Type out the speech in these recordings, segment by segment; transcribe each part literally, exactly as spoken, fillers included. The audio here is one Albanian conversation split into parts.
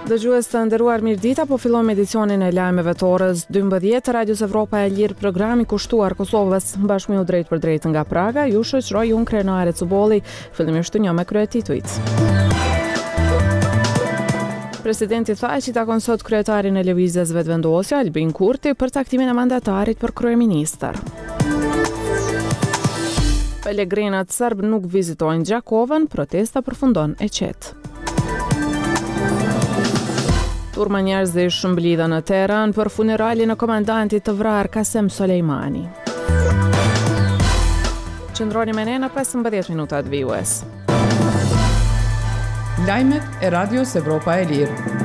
Dëgjues të nderuar, mirëdita, po fillojmë edicionin e lajmeve të orës dymbëdhjetë të Radios Evropa e Lirë, programi kushtuar Kosovës, bashkë me ju drejtpërdrejt nga Praga, ju shoqëroj unë Krenare Cubolli, fillimisht ju njoh me kryetitujt. Presidenti Thaçi takon sot kryetarin e Lëvizjes Vetëvendosje, Albin Kurti, për caktimin e mandatarit për kryeministër. Pelegrinët serb nuk vizitojnë Gjakovën, protesta përfundon e qetë. Turma njerëzish mblidhen në Teheran për funeralin e komandantit të vrarë Kasem Soleimani. Qëndroni me ne në pesëmbëdhjetë minutat vijues. Lajmet e Radios Evropa e Lirë.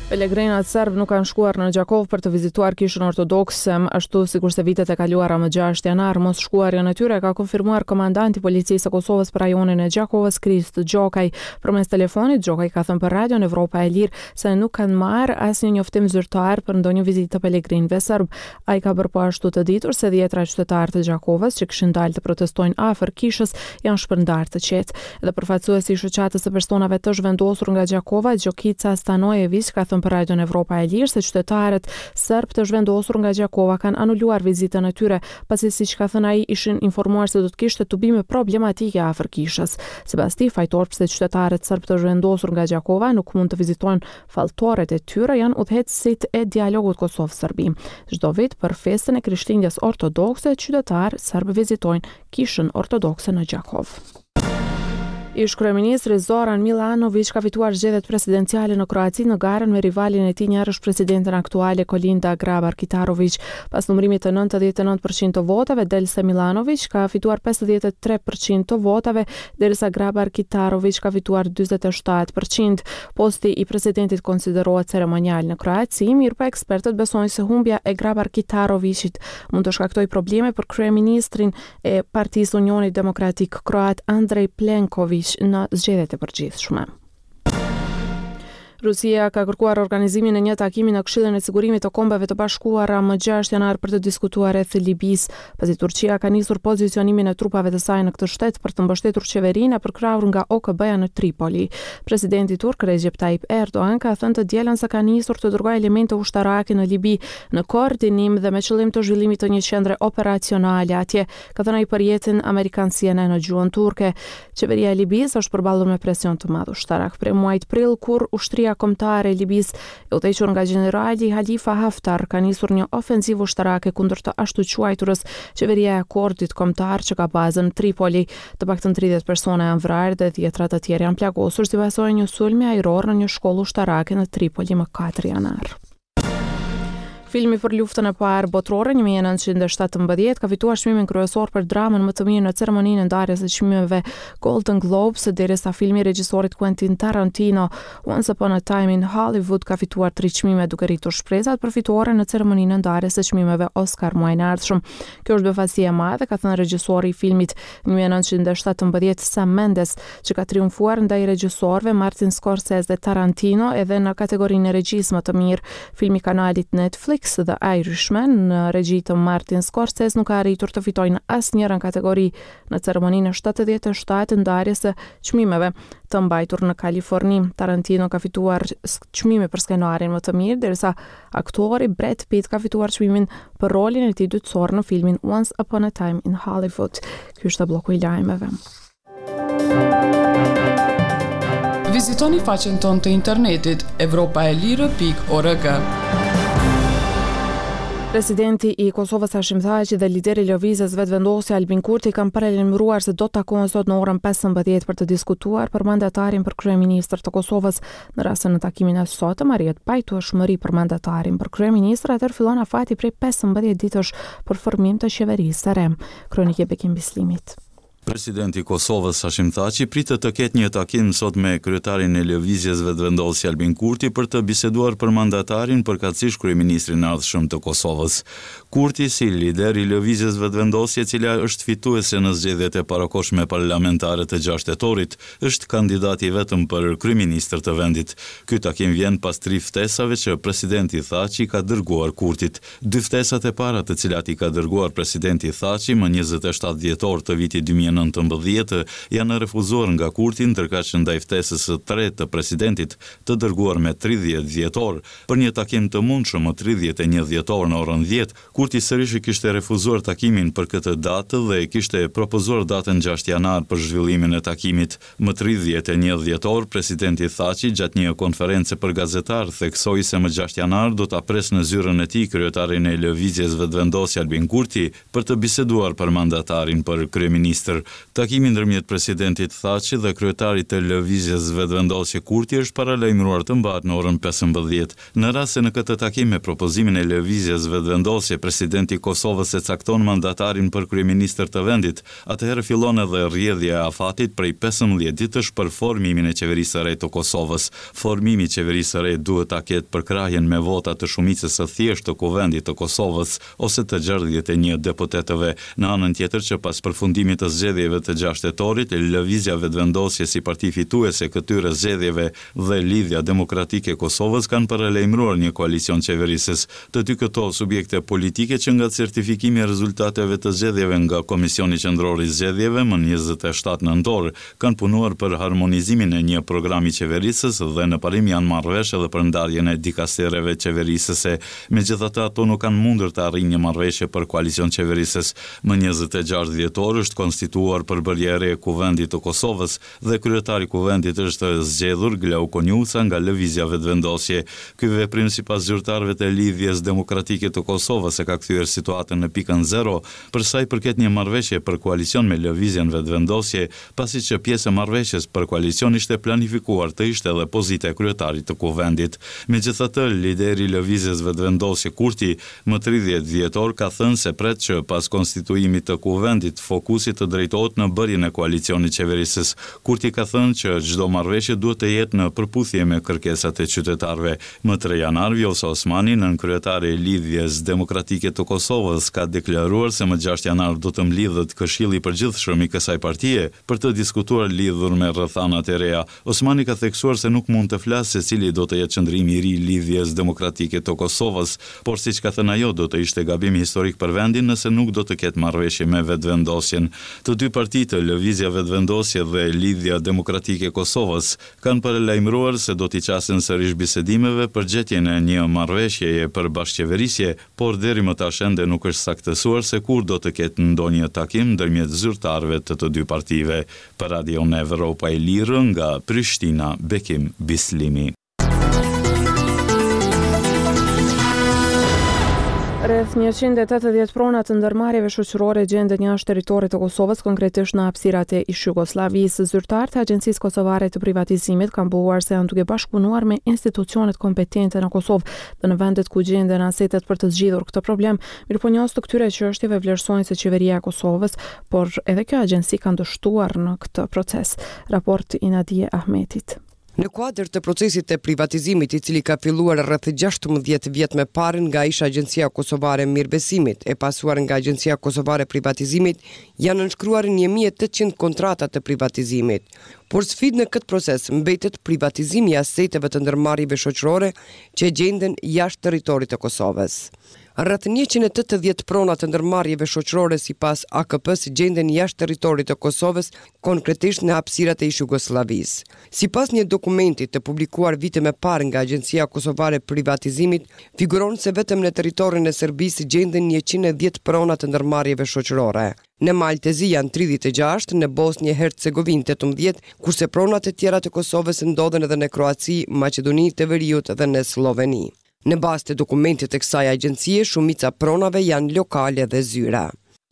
Pelegrinat serb nuk kanë shkuar në Gjakovë për të vizituar kishën ortodokse, ashtu sikurse vitet e kaluara më gjashtë janar. Mos shkuarjen e tyre ka konfirmuar komandanti i Policisë së Kosovës për rajonin e Gjakovës, Krist Gjokaj. Përmes telefonit, Gjokaj ka thënë për Radion Evropa e Lirë se nuk kanë marrë asnjë njoftim zyrtar për ndonjë vizitë të pelegrinëve serb. Ai ka bërë po ashtu të ditur se dhjetra qytetarë të Gjakovës që kishin dalë të protestojnë afër kishës janë shpërndarë të qetë. Dhe përfaqësuesi i shoqatës së personave të zhvendosur nga Gjakova, Gjokica Stanojević, ka thënë për Radion Evropa e Lirë se qytetarët serb të zhvendosur nga Gjakova kanë anuluar vizitën e tyre, pasi siç ka thënë ai ishin informuar se do të kishte tubime problematike afër kishës. Sipas tij, fajtor pse qytetarët serb të zhvendosur nga Gjakova nuk mund të vizitojnë falltoret e tyre janë udhëheqësit e dialogut Kosovë-Serbi. Çdo vit për festën e Krishtlindjes ortodokse, qytetarë serb vizitojnë kishën ortodokse në Gjakovë. Ish kryeministri Zoran Milanović ka fituar zgjedhjet presidenciale në Kroaci në garën me rivalin e tij njërësh presidenten aktuale Kolinda Grabar-Kitarović. Pas numërimit të nëntëdhjetë e nëntë përqind të votave, del se Milanović ka fituar pesëdhjetë e tre përqind të votave, derisa Grabar-Kitarović ka fituar dyzet e shtatë përqind. Posti i presidentit konsiderohet ceremonial në Kroaci, mirëpo ekspertët besojnë se humbja e Grabar-Kitarovićit mund të shkaktojë probleme për kryeministrin e Partisë Unionit Demokratik Kroat Andrej Plenković në zgjedhjet e përgjithshme. Rusia ka kërkuar organizimin e një takimi në Këshillin e Sigurimit të Kombeve të Bashkuara më gjashtë janar për të diskutuar rreth Libisë, pasi Turqia ka nisur pozicionimin e trupave të saj në këtë shtet për të mbështetur qeverinë e përkrahur nga O K B-ja në Tripoli. Presidenti turk Recep Tayyip Erdogan ka thënë të dielën se ka nisur të dërgojë elemente ushtarake në Libi në koordinim dhe me qëllim të zhvillimit të një qendre operacionale atje, ka thënë ai për rrjetin amerikan C N N në gjuhën turke. Qeveria e Libisë është përballur me presion të madh ushtarak prej muajit prill, kur ushtria kombëtare e Libisë, e udhëhequr nga gjenerali Halifa Haftar, ka nisur një ofensivë ushtarake kundër të ashtuquajturës qeveria e akordit kombëtar që ka bazën në Tripoli. Të paktën tridhjetë persona janë vrarë dhe dhjetra të tjerë janë plagosur si pasojë e një sulmi ajror në një shkollë ushtarake në Tripoli më katër janar. Filmi për luftën e parë botërore një mijë e nëntëqind e shtatëmbëdhjetë ka fituar çmimin kryesor për dramën më të mirë në ceremoninë e ndarjes së çmimeve Golden Globes, derisa filmi i regjisorit Quentin Tarantino Once Upon a Time in Hollywood ka fituar tri çmime, duke rritur shpresat për fitore në ceremoninë e ndarjes së çmimeve Oscar muajin e ardhshëm. Kjo është befasi e madhe, ka thënë regjisori i filmit një mijë e nëntëqind e shtatëmbëdhjetë Sam Mendes, që ka triumfuar ndaj regjisorëve Martin Scorsese dhe Tarantino edhe në kategorinë e regjisë më të mirë. Filmi i kanalit Netflix The Irishman në regji të Martin Scorsese nuk ka arritur të fitojë në asnjërën kategori në ceremoninë e shtatëdhjetë e shtatë ndarjes së çmimeve të mbajtur në Kaliforni. Tarantino ka fituar çmimin për skenarin më të mirë, derisa aktori Brad Pitt ka fituar çmimin për rolin e tij dytësor në filmin Once Upon a Time in Hollywood. Ky është bloku i lajmeve. Vizitoni faqen tonë të internetit evropa e lirë pikë org. Presidenti i Kosovës Hashim Thaçi dhe lideri i Lëvizjes Vetëvendosje Albin Kurti kanë paralajmëruar se do të takohen sot në orën pesëmbëdhjetë për të diskutuar për mandatarin për kryeministër të Kosovës. Në rast se në takimin e sotëm arrihet pajtueshmëri për mandatarin për kryeministër, atëherë fillon afati prej pesëmbëdhjetë ditësh për formim të qeverisë së re. Kronikë e Bekim Bislimit. Presidenti i Kosovës Hashim Thaçi pritet të ketë një takim sot me kryetarin e Lëvizjes Vetëvendosje Albin Kurti për të biseduar për mandatarin, përkatësisht kryeministrin e ardhshëm të Kosovës. Kurti, si lider i Lëvizjes Vetëvendosje, e cila është fituese në zgjedhjet e parakohshme parlamentare të gjashtë tetorit, është kandidati i vetëm për kryeministër të vendit. Ky takim vjen pas tri ftesave që presidenti Thaçi ka dërguar Kurtit. Dy ftesat e para të cilat i ka dërguar presidenti Thaçi më njëzet e shtatë dhjetor të vitit dy mijë e nëntëmbëdhjetë janë refuzuar nga Kurti, ndërkaq ndaj ftesës së tretë të presidentit të dërguar me tridhjetë dhjetor për një takim të mundshëm më tridhjetë e një dhjetor në orën dhjetë, Kurti sërish e kishte refuzuar takimin për këtë datë dhe kishte propozuar datën gjashtë janar për zhvillimin e takimit. Më tridhjetë e një dhjetor, presidenti Thaçi gjatë një konference për gazetarë theksoi se më gjashtë janar do ta presë në zyrën e tij kryetarin e Lëvizjes Vetëvendosje Albin Kurti për të biseduar për mandatarin për kryeministër. Takimi ndërmjet presidentit Thaçi dhe kryetarit të Lëvizjes Vetëvendosje Kurti është paralajmëruar të mbahet në orën pesëmbëdhjetë. Në rast se në këtë takim me propozimin e Lëvizjes Vetëvendosje presidenti i Kosovës e cakton mandatarin për kryeministër të vendit, atëherë fillon edhe rrjedhja e afatit prej pesëmbëdhjetë ditësh për formimin e qeverisë së re të Kosovës. Formimi i qeverisë së re duhet ta ketë përkrahjen me vota të shumicës së thjeshtë të Kuvendit të Kosovës ose të gjashtëdhjetë e një deputetëve. Në anën tjetër që pas përfundimit të zgjedhjeve të gjashtë tetorit, Lëvizja Vetëvendosje si parti fituese e këtyre zgjedhjeve dhe Lidhja Demokratike e Kosovës kanë paralajmëruar një koalicion qeverisës. Të dy këto subjekte politike që nga certifikimi i rezultateve të zgjedhjeve nga Komisioni Qendror i Zgjedhjeve më njëzet e shtatë nëntor, kanë punuar për harmonizimin e një programi qeverisës dhe në parim janë marrë vesh edhe për ndarjen e dikastereve qeverisëse. Megjithatë, ato nuk kanë mundur të arrijnë një marrëveshje për koalicion qeverisës. Më njëzet e gjashtë dhjetor është konstituuar përbërja e re e Kuvendit të Kosovës dhe kryetari i Kuvendit është zgjedhur Glauk Konjufca nga Lëvizja Vetëvendosje. Ky veprim sipas zyrtarëve të Lidhjes Demokratike të Kosovës e ka kthyer situatën në pikën zero për sa i përket një marrëveshje për koalicion me Lëvizjen Vetëvendosje, pasi që pjesë e marrëveshjes për koalicion ishte planifikuar të ishte edhe pozita e kryetarit të Kuvendit. Megjithatë, lideri i Lëvizjes Vetëvendosje Kurti, më tridhjetë dhjetor ka thënë se pret që pas konstituimit të Kuvendit, fokusi të drejtohet në bërjen e koalicionit qeverisës. Kurti ka thënë që çdo marrëveshje duhet të jetë në përputhje me kërkesat e qytetarëve. Më tre janar, Vjosa Osmani, nënkryetare e Lidhjes Demokratike të Kosovës, ka deklaruar se më gjashtë janar do të mblidhet Këshilli i Përgjithshëm i kësaj partie për të diskutuar lidhur me rrethanat e reja. Osmani ka theksuar se nuk mund të flasë se cili do të jetë qëndrimi i ri i Lidhjes Demokratike të Kosovës, por siç ka thënë ajo, do të ishte gabim historik për vendin nëse nuk do të ketë marrëveshje me Vetëvendosjen. Të dy partitë, Lëvizja Vetëvendosje dhe Lidhja Demokratike e Kosovës, kanë paralajmëruar se do t'i qasen sërish bisedimeve për gjetjen e një marrëveshjeje për bashkëqeverisje, por deri më tash ende nuk është saktësuar se kur do të ketë ndonjë takim ndërmjet zyrtarëve të të dy partive. Për Radion Evropa e Lirë nga Prishtina, Bekim Bislimi. Rreth njëqind e tetëdhjetë prona të ndërmarrjeve shoqërore gjenden jashtë territorit të Kosovës, konkretisht në hapësirat e ish-Jugosllavisë. Zyrtarët e Agjencisë Kosovare të Privatizimit kanë pohuar se janë duke bashkëpunuar me institucionet kompetente në Kosovë dhe në vendet ku gjenden asetet për të zgjidhur këtë problem. Mirëpo njohës të këtyre çështjeve vlerësojnë se qeveria e Kosovës, por edhe kjo agjenci kanë dështuar në këtë proces. Raport i Nadie Ahmetit. Në kuadër të procesit të privatizimit, i cili ka filluar rreth gjashtëmbëdhjetë vjet më parë nga ish Agjencia Kosovare e Mirëbesimit, e pasuar nga Agjencia Kosovare e Privatizimit, janë nënshkruar një mijë e tetëqind kontrata të privatizimit. Por sfidë në këtë proces mbetet privatizimi i aseteve të ndërmarrjeve shoqërore që gjenden jashtë territorit të Kosovës. Rreth njëqind e tetëdhjetë prona të ndërmarrjeve shoqërore sipas A K P-së gjenden jashtë territorit të Kosovës, konkretisht në hapësirat e ish-Jugosllavisë. Sipas një dokumenti të publikuar vite më parë nga Agjencia Kosovare e Privatizimit, figuron se vetëm në territorin e Serbisë gjenden njëqind e dhjetë prona të ndërmarrjeve shoqërore. Në Mal të Zi janë tridhjetë e gjashtë, në Bosnjë e Hercegovinë tetëmbëdhjetë, kurse pronat e tjera të Kosovës ndodhen edhe në Kroaci, Maqedoni të Veriut dhe në Slloveni. Në bazë të dokumentit të kësaj agjencie, shumica pronave janë lokale dhe zyra.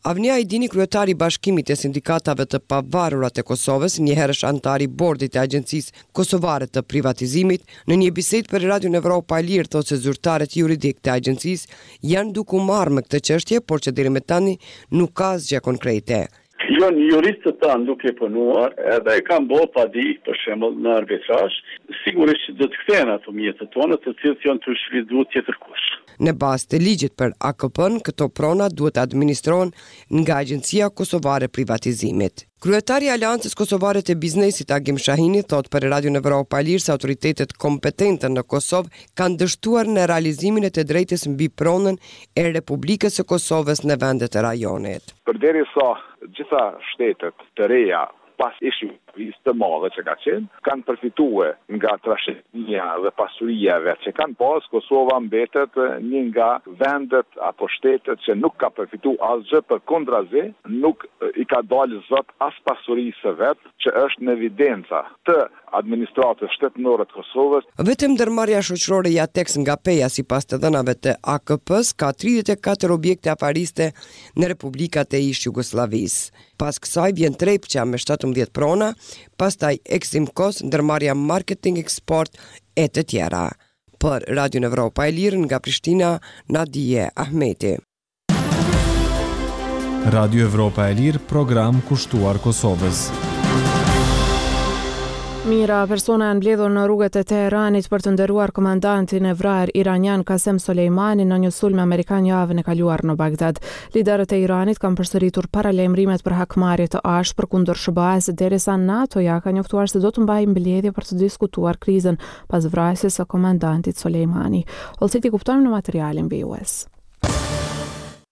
Avni Ajdini, kryetari i Bashkimit të Sindikatave të Pavarura të Kosovës, njëherësh antar i bordit të Agjencisë Kosovare të Privatizimit, në një bisedë për Radion Evropa e Lirë thotë se zyrtarët juridik të agjencisë janë duke u marrë me këtë çështje, por që deri më tani nuk ka asgjë konkrete. Janë juristët tanë duke punuar edhe e kanë bërë padi, për shembull, në arbitrazh, sigurisht që do të kthehen ato mjetet tona, të cilët janë të shfrytëzuar tjetër kush. Në bazë të ligjit për A K P-n, këto prona duhet të administrohen nga Agjencia Kosovare e Privatizimit. Kryetari i Aleancës Kosovare të Biznesit Agim Shahini thotë për Radion Evropa e Lirë se autoritetet kompetente në Kosovë kanë dështuar në realizimin e të drejtës mbi pronën e Republikës së Kosovës në vendet e rajonit. Përderisa gjitha shtetet të reja pas ish Jugosllavisë të madhe që ka qenë, kanë përfitue nga trashëgimia dhe pasuria e vet që kanë pas, Kosova mbetet një nga vendet apo shtetet që nuk ka përfitu asgjë, përkundrazi nuk i ka dalë zot as pasurisë së vet që është në evidenca të administratës shtetërore të Kosovës. Vetëm ndërmarrja shoqërore Jatex nga Peja, sipas të dhënave të A K P-së, ka tridhjetë e katër objekte afariste në Republikat e ish-Jugosllavisë. Pas kësaj vjen Trepça me shtatëmbëdhjetë prona, pastaj Eximkos, ndërmarrja Marketing Export e të tjera. Për Radion Evropa e Lirë nga Prishtina, Nadije Ahmeti. Radio Evropa e Lirë, program kushtuar Kosovës. Mijëra persona janë mbledhur në rrugët e Teheranit për të nderuar komandantin e vrarë iranian Qasem Soleimani në një sulm amerikan javën e kaluar në Bagdad. Liderët e Iranit kanë përsëritur paralajmërimet për hakmarrje të ashpër kundër S H B A-s, derisa NATO-ja ka njoftuar se do të mbajë mbledhje për të diskutuar krizën pas vrasjes së komandantit Soleimani. Hollësitë i kuptojmë në materialin vijues.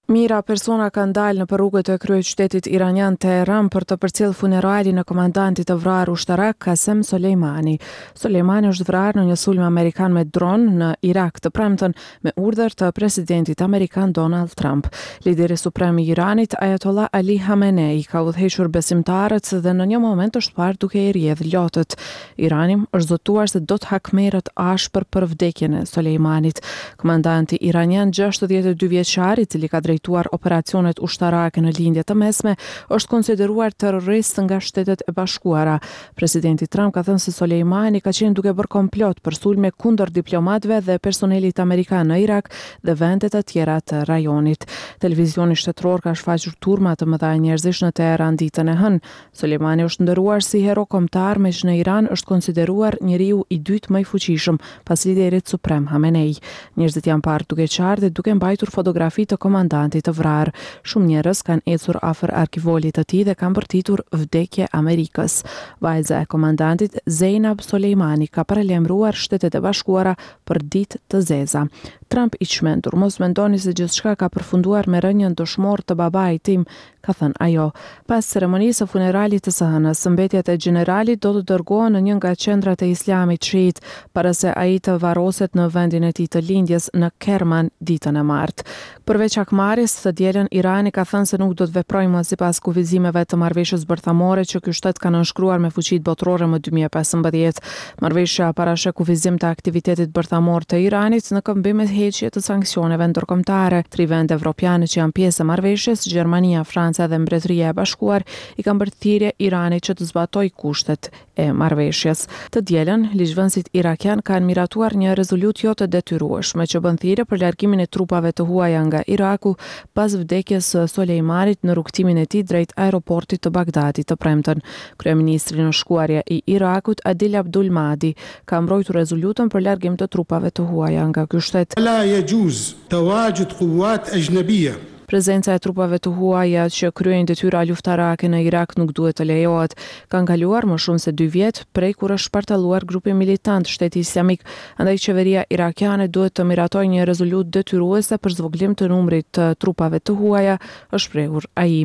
Mijëra persona kanë dalë në rrugët e kryeqytetit iranian Teheran për të përcjellë funeralin e komandantit të vrarë ushtarak Qasem Soleimani. Soleimani është vrarë në një sulm amerikan me dron në Irak të premten me urdhër të presidentit amerikan Donald Trump. Lideri suprem i Iranit Ayatollah Ali Khamenei ka udhëhequr besimtarët dhe në një moment është parë duke i rrjedh lotët. Irani është zotuar se do të hakmerret ashpër për vdekjen e Soleimanit. Komandanti iranian gjashtëdhjetë e dy vjeçar, i cili ka drejtuar operacionet ushtarake në lindje të mesme, është konsideruar terrorist nga Shtetet e Bashkuara. Presidenti Trump ka thënë se Soleimani ka qenë duke bërë komplot për sulme kundër diplomatëve dhe personelit amerikan në Irak dhe vendet e tjera të rajonit. Televizioni shtetëror ka shfaqur turma të mëdha njerëzish në Teheran ditën e hënë. Soleimani është nderuar si hero kombëtar, meqë në Iran është konsideruar njeriu i dytë më i fuqishëm pas liderit suprem Khamenei. Njerëzit janë parë duke qarë dhe duke mbajtur fotografi të komandantit të vrarë. Shumë njerëz kanë ecur afër arkivolit të tij dhe kanë bërtitur vdekje Amerikës. Vajza e komandantit Zeynab Soleimani ka paralajmëruar Shtetet e Bashkuara për ditë të zeza. Trump i çmendur, mos mendoni se gjithçka ka përfunduar me rënien dëshmor të babait tim, ka thënë ajo. Pas ceremonisë së funeralit të së hënës, mbetjet e gjeneralit do të dërgohen në një nga qendrat e Islamit Shiit, para se ai të varroset në vendin e tij të lindjes në Kerman ditën e martë. Përveç hakmarrjes, të dielën Irani ka thënë se nuk do të veprojë më sipas kufizimeve të marrëveshjes bërthamore që ky shtet ka nënshkruar me fuqitë botërore më dy mijë e pesëmbëdhjetë. Marrëveshja parasheh kufizim të aktivitetit bërthamor të Iranit në këmbim me heqje të sanksioneve ndërkombëtare. Tri vende evropiane që janë pjesë e marrëveshjes, Gjermania, Franca dhe Mbretëria e Bashkuar, i kanë bërë thirrje Iranit që të zbatojë kushtet e marrëveshjes. Të dielën, ligjvënësit irakian kanë miratuar një rezolutë jo të detyrueshme që bën thirrje për largimin e trupave të huaja nga Iraku pas vdekjes së Soleimanit në rrugëtimin e tij drejt aeroportit të Bagdadit të premten. Kryeministri në shkuarje i Irakut, Adil Abdul Mahdi, ka mbrojtur rezolutën për largim të trupave të huaja nga ky shtet. La yajuz tawajud quwat ajnabiyya. Prezenca e trupave të huaja që kryejnë detyra luftarake në Irak nuk duhet të lejohet. Kanë kaluar më shumë se dy vjet prej kur është shpartalluar grupi militant Shteti Islamik, andaj qeveria irakiane duhet të miratojë një rezolutë detyruese për zvogëlim të numrit të trupave të huaja, është shprehur ai.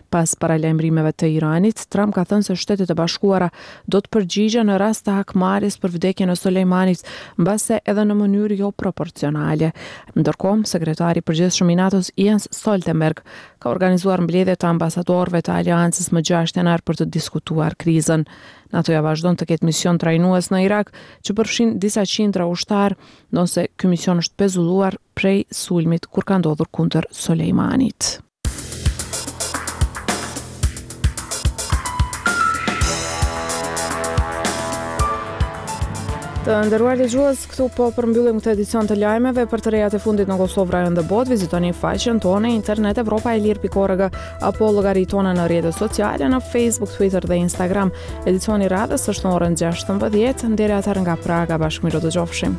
Pas paralajmërimeve të Iranit, Trump ka thënë se Shtetet e Bashkuara do të përgjigjen në rast të hakmarrjes për vdekjen e Soleimanit, mbase edhe në mënyrë jo proporcionale. Ndërkohë, sekretari i përgjithshëm i NATO-s Jens Stoltenberg ka organizuar mbledhje të ambasadorëve të aleancës më gjashtë janar për të diskutuar krizën. NATO-ja vazhdon të ketë mision trajnues në Irak, që përfshin disa qindra ushtarë, ndonëse ky mision është pezulluar prej sulmit kur ka ndodhur kundër Soleimanit. Të nderuar dëgjues, këtu po përmbyllim këtë edicion të lajmeve. Për të rejat e fundit në Kosovë, rajon dhe botë, vizitoni faqen tonë internet evropa e lirë pikë org apo llogaritë tona në rrjetet sociale në Facebook, Twitter dhe Instagram. Edicioni i radhës është në orën gjashtëmbëdhjetë. Deri atëherë nga Praga, bashkë mirë u dëgjofshim.